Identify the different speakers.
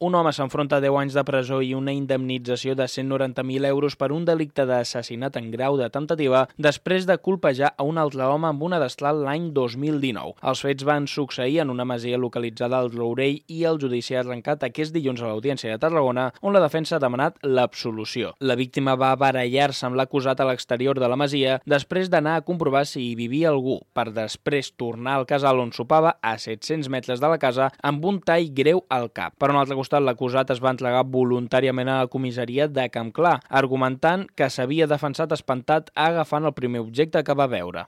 Speaker 1: Un home s'enfronta a 10 anys de presó i una indemnització de 190.000 euros per un delicte d'assassinat en grau de temptativa després de colpejar a un altre home amb una destral l'any 2019. Els fets van succeir en una masia localitzada al Rourell i el judici ha arrencat aquest dilluns a l'Audiència de Tarragona, on la defensa ha demanat l'absolució. La víctima va barallar-se amb l'acusat a l'exterior de la masia després d'anar a comprovar si hi vivia algú, per després tornar al casal on sopava a 700 metres de la casa amb un tall greu al cap. Per un altre costat, l'acusat es va entregar voluntàriament a la comissaria de Campclar, argumentant que s'havia defensat espantat agafant el primer objecte que va veure.